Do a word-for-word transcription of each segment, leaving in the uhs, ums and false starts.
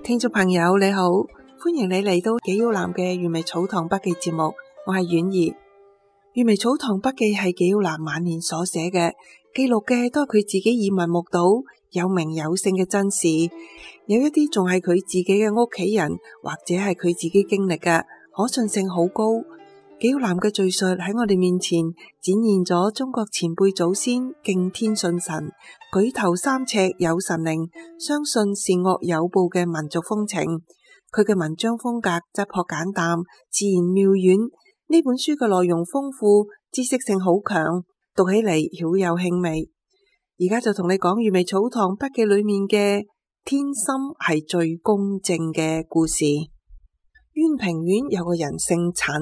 聽眾朋友你好，歡迎你嚟到紀曉嵐嘅閱微草堂筆記節目，我係婉兒。閱微草堂筆記係紀曉嵐晚年所寫嘅，記錄嘅都係佢自己耳聞目睹、有名有姓嘅真事，有一啲仲係佢自己嘅屋企人或者係佢自己經歷嘅，可信性好高。紀曉嵐嘅敘述喺我哋面前展現咗中國前輩祖先敬天信神、舉頭三尺有神靈、相信善惡有報嘅民族風情。佢嘅文章風格質樸簡淡、自然妙遠。呢本書嘅內容豐富，知識性好強，讀起嚟曉有興味。而家就同你講閱微草堂筆記裏面嘅天心係最公正嘅故事。淵平縣有個人姓陳，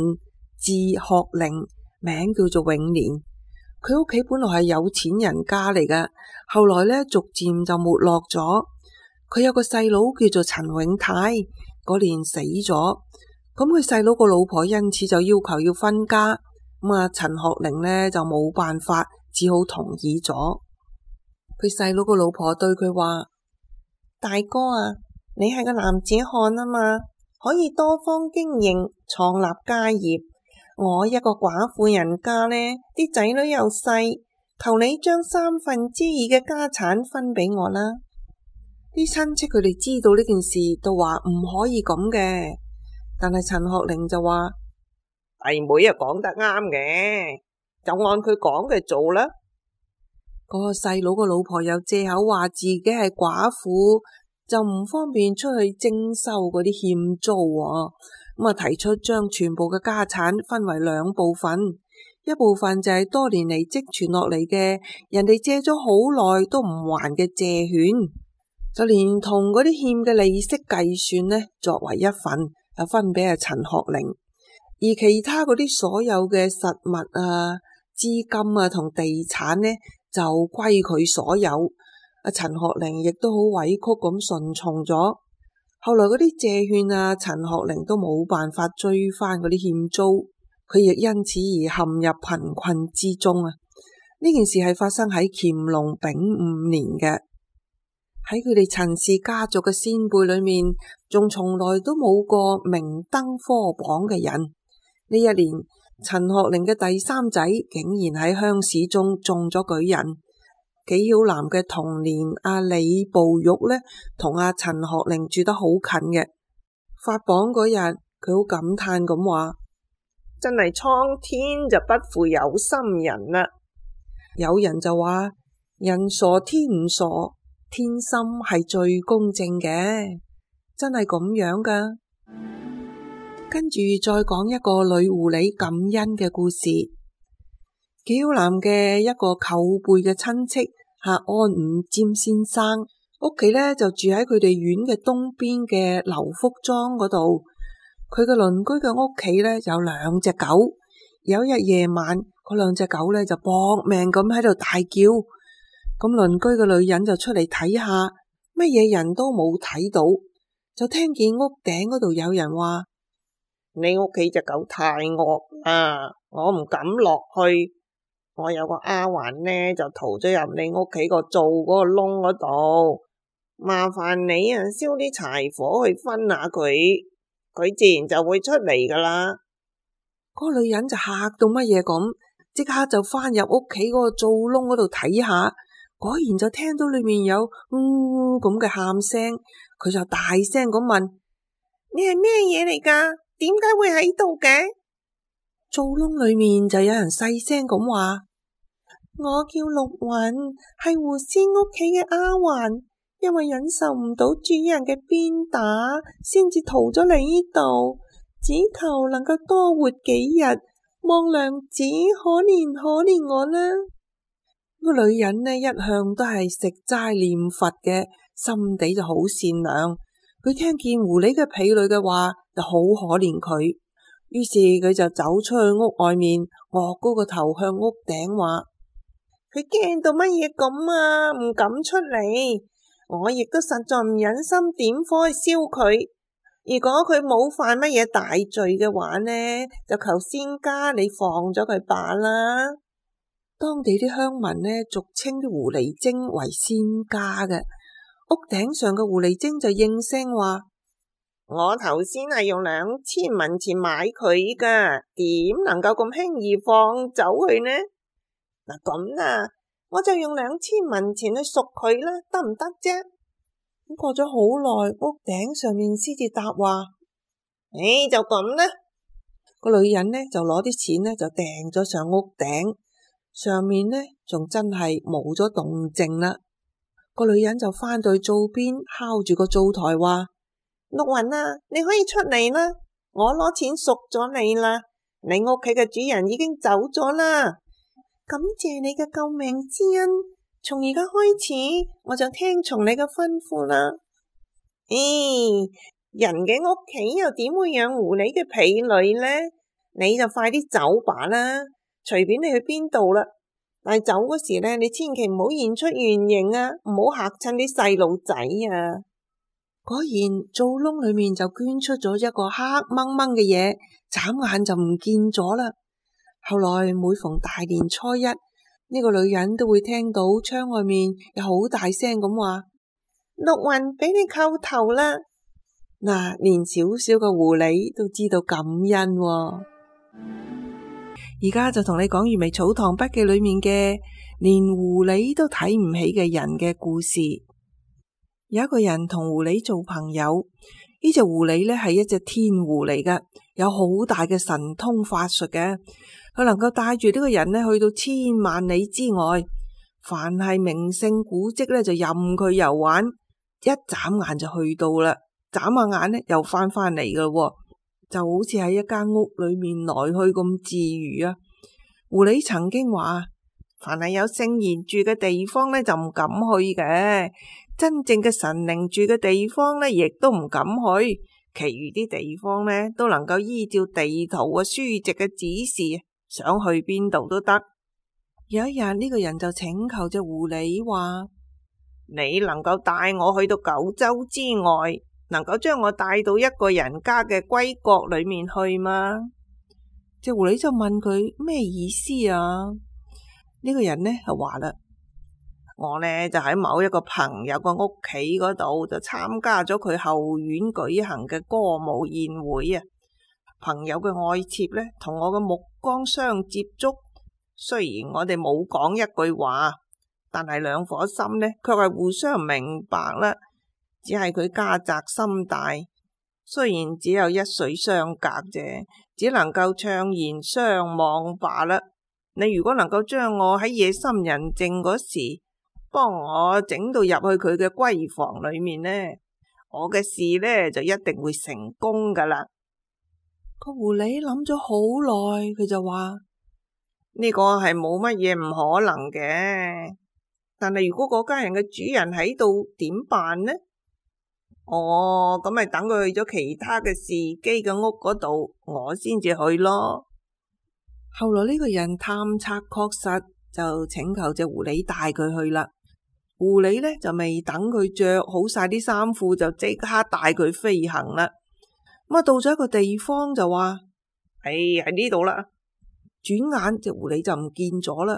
字學齡，名叫做永年。佢屋企本來係有錢人家嚟嘅，後來呢逐漸就沒落咗。佢有個細佬叫做陳永泰，嗰年死咗。咁佢細佬個老婆因此就要求要分家，咁啊陳學齡呢就冇辦法，只好同意咗。佢細佬個老婆對佢話：大哥啊，你係個男子漢啊嘛，可以多方經營，創立家業。我一個寡婦人家呢，啲仔女又細，求你將三分之二嘅家產分俾我啦。啲親戚佢哋知道呢件事，都話唔可以咁嘅。但係陳學齡就話：弟妹啊，講得啱嘅，就按佢講嘅做啦。嗰個細佬個老婆又借口話自己係寡婦，就唔方便出去徵收嗰啲欠租喎。咁啊，提出將全部嘅家產分為兩部分，一部分就係多年嚟積存落嚟嘅，人哋借咗好耐都唔還嘅借券，就連同嗰啲欠嘅利息計算呢，作為一份，就分俾阿陳學齡。而其他嗰啲所有嘅實物啊、資金啊同地產呢，就歸佢所有。阿陳學齡亦都好委屈咁順從咗。後來嗰啲借券啊，陳學齡都冇辦法追翻嗰啲欠租，佢亦因此而陷入貧困之中啊！呢件事係發生喺乾隆丙午年嘅。喺佢哋陳氏家族嘅先輩裏面，仲從來都冇過明登科榜嘅人。呢一年，陳學齡嘅第三仔竟然喺鄉試中中咗舉人。紀曉嵐嘅童年阿李步玉呢，同阿陳學齡住得好近嘅。發榜嗰日，佢好感嘆咁話：真係蒼天就不負有心人啦！有人就話：人傻天唔傻，天心係最公正嘅，真係咁樣噶。跟住再講一個女狐狸感恩嘅故事。紀曉嵐嘅一個舅輩嘅親戚係安五占先生，屋企呢就住喺佢哋縣嘅東邊嘅劉福莊嗰度。佢嘅鄰居嘅屋企呢有兩隻狗，有一日夜晚，嗰兩隻狗呢就搏命咁喺度大叫。咁鄰居嘅女人就出嚟睇下，乜嘢人都冇睇到，就聽見屋頂嗰度有人話：你屋企隻狗太惡啊，我唔敢落去。我有個丫鬟呢，就逃咗入你屋企個灶嗰個窿嗰度，麻煩你啊燒啲柴火去分下佢，佢自然就會出嚟噶啦。嗰個女人就嚇到乜嘢咁，即刻就翻入屋企嗰個灶窿嗰度睇下，果然就聽到裏面有嗚咁嘅喊聲，佢就大聲咁問：你係咩嘢嚟噶？點解會喺度嘅？灶窿裏面就有人細聲咁話：我叫陸雲，係狐仙屋企嘅丫鬟，因為忍受唔到主人嘅鞭打，先至逃咗嚟呢度，只求能夠多活幾日，望娘子可憐可憐我啦。個女人呢一向都係食齋念佛嘅，心地就好善良。佢聽見狐狸嘅婢女嘅話，就好可憐佢。於是佢就走出去屋外面，昂高個頭向屋頂話：佢驚到乜嘢咁啊，唔敢出嚟。我亦都實在唔忍心點火去燒佢。如果佢冇犯乜嘢大罪嘅話呢，就求仙家你放咗佢罷啦。當地啲鄉民呢，俗稱啲狐狸精為仙家嘅。屋頂上嘅狐狸精就應聲話：我頭先係用兩千文錢買佢噶，點能夠咁輕易放走佢呢？嗱咁啦，我就用兩千文錢去贖佢啦，得唔得啫？咁過咗好耐，屋頂上面先至答話，誒，就咁啦。個女人呢就攞啲錢呢就掟咗上屋頂，上面呢仲真係冇咗動靜啦。個女人就返到去灶邊，敲住個灶台話：陸雲啊，你可以出嚟啦，我攞錢贖咗你啦，你屋企嘅主人已經走咗啦。感謝你嘅救命之恩，從而家開始我就聽從你嘅吩咐啦。咦、哎，人嘅屋企又點會養狐狸嘅婢女呢？你就快啲走吧啦，隨便你去邊度啦。但係走嗰時呢，你千祈唔好現出原形啊，唔好嚇親啲細路仔啊。果然灶窿裏面就捐出咗一個黑掹掹嘅嘢，眨眼就唔見咗啦。後來每逢大年初一，呢、這個女人都會聽到窗外面有好大聲咁話：陸雲俾你叩頭啦！嗱，連小小嘅狐狸都知道感恩喎。而家就同你講《閱微草堂筆記》裏面嘅連狐狸都睇唔起嘅人嘅故事。有一個人同狐狸做朋友，呢隻狐狸呢係一隻天狐嚟㗎，有好大嘅神通法術嘅，佢能夠帶住呢個人呢去到千萬里之外，凡係名勝古蹟呢就任佢遊玩，一眨眼就去到啦，眨下眼呢又翻返嚟㗎，就好似喺一間屋裏面來去咁自如啊。狐狸曾經話：凡係有聖賢住嘅地方呢，就唔敢去嘅。真正嘅神靈住嘅地方呢，亦都唔敢去。其餘啲地方呢，都能夠依照地圖啊、書籍嘅指示，想去邊度都得。有一日，呢個人就請求隻狐狸話：你能夠帶我去到九州之外，能夠將我帶到一個人家嘅歸國裏面去嗎？隻狐狸就問佢咩意思啊？呢個人呢就話啦：我呢就喺某一個朋友個屋企嗰度就參加咗佢後院舉行嘅歌舞宴會啊。朋友嘅愛妾呢同我嘅目光相接觸，雖然我哋冇講一句話，但係兩顆心呢卻係互相明白啦。只係佢家宅心大，雖然只有一水相隔啫，只能夠悵然相望罷啦。你如果能夠將我喺夜深人靜嗰時幫我整到入去佢嘅閨房裏面呢，我嘅事呢就一定會成功噶啦。個狐狸諗咗好耐，佢就話：呢個係冇乜嘢唔可能嘅，但係如果嗰家人嘅主人喺度點辦呢？哦，咁咪等佢去咗其他嘅侍機嘅屋嗰度，我先至去咯。後來呢個人探測確實，就請求隻狐狸帶佢去啦。狐狸呢就未等佢着好晒啲衫褲，就即刻帶佢飛行啦。咁啊到咗一個地方就話：誒，喺呢度啦。轉眼隻狐狸就唔見咗啦。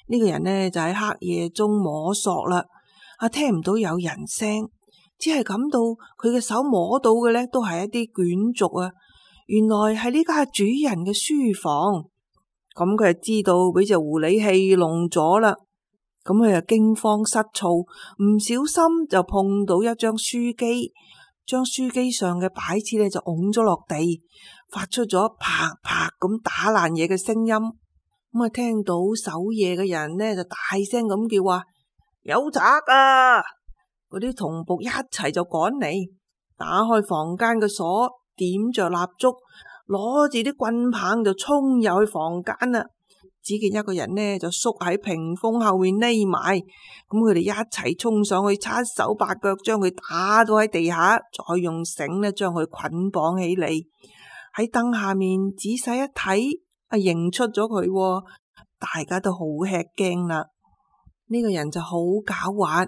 呢個人呢就喺黑夜中摸索啦，啊聽唔到有人聲。只係感到佢嘅手摸到嘅呢都係一啲卷軸啊！原來係呢家主人嘅書房。咁佢就知道俾隻狐狸戲弄咗啦。咁佢就驚慌失措，唔小心就碰到一張書機，將書機上嘅擺設呢就拱咗落地，發出咗啪啪咁打爛嘢嘅聲音。咁啊，聽到守夜嘅人呢就大聲咁叫話：有賊啊！嗰啲同僕一齊就趕嚟，打開房間嘅鎖，點着蠟燭，攞住啲棍棒就衝入去房間啦。只見一個人呢就縮喺屏風後面匿埋，咁佢哋一齊衝上去，七手八腳將佢打到喺地下，再用繩呢將佢捆綁起嚟。喺燈下面仔細一睇，啊認出咗佢，大家都好吃驚啦。呢個人就好狡猾。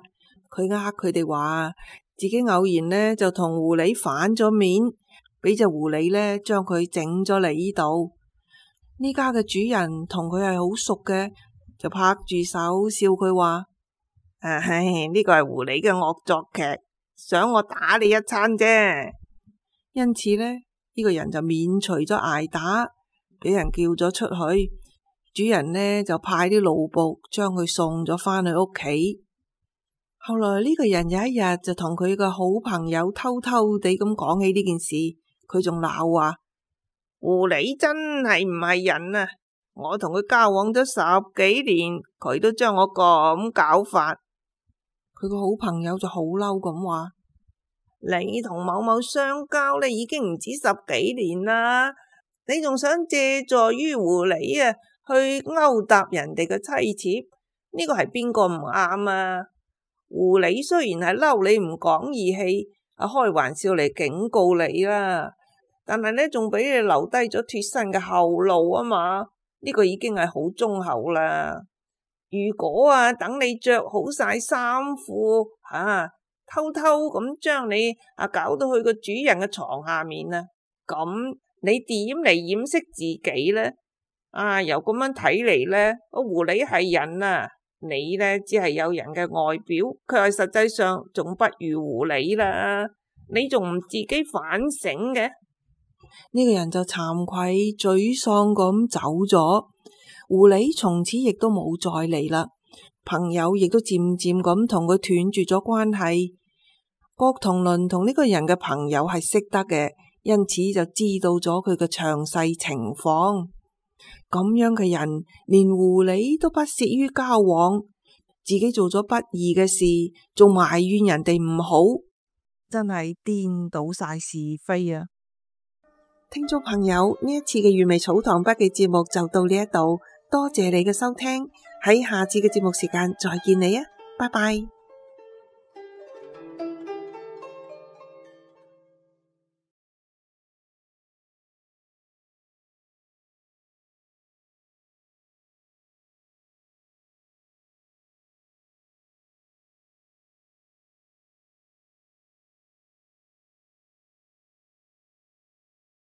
佢呃佢哋話自己偶然呢就同狐狸反咗面，俾隻狐狸呢將佢整咗嚟呢度。呢家嘅主人同佢係好熟嘅，就拍住手笑佢話：唉，呢個係狐狸嘅惡作劇，想我打你一餐啫。因此呢，呢個人就免除咗捱打，俾人叫咗出去。主人呢就派啲奴僕將佢送咗返去屋企。後來呢個人有一日就同佢個好朋友偷偷地咁講起呢件事，佢仲鬧話：狐狸真係唔係人啊！我同佢交往咗十幾年，佢都將我咁搞法。佢個好朋友就好嬲咁話：你同某某相交呢已經唔止十幾年啦，你仲想借助於狐狸啊去勾搭人哋嘅妻妾？呢個係邊個唔啱啊？狐狸雖然係嬲你唔講義氣，啊開玩笑嚟警告你啦，但係呢仲俾你留低咗脫身嘅後路啊嘛。呢個已經係好忠厚啦。如果啊等你着好晒衫褲，吓、啊、偷偷咁將你啊搞到去個主人嘅床下面啊，咁你點嚟掩飾自己呢？啊，由咁樣睇嚟呢，個狐狸係人啊，你呢只係有人嘅外表，佢係實際上仲不如狐狸啦。你仲唔自己反省嘅？呢個人就慚愧沮喪咁走咗。狐狸從此亦都冇再嚟啦。朋友亦都漸漸咁同佢斷絕咗關係。郭同倫同呢個人嘅朋友係識得嘅，因此就知道咗佢嘅詳細情況。咁樣嘅人，連狐狸都不屑於交往，自己做咗不義嘅事，仲埋怨人哋唔好，真係顛倒晒是非啊！聽眾朋友，呢一次嘅粵味草堂筆記節目就到呢一度，多謝你嘅收聽，喺下次嘅節目時間再見你啊，拜拜。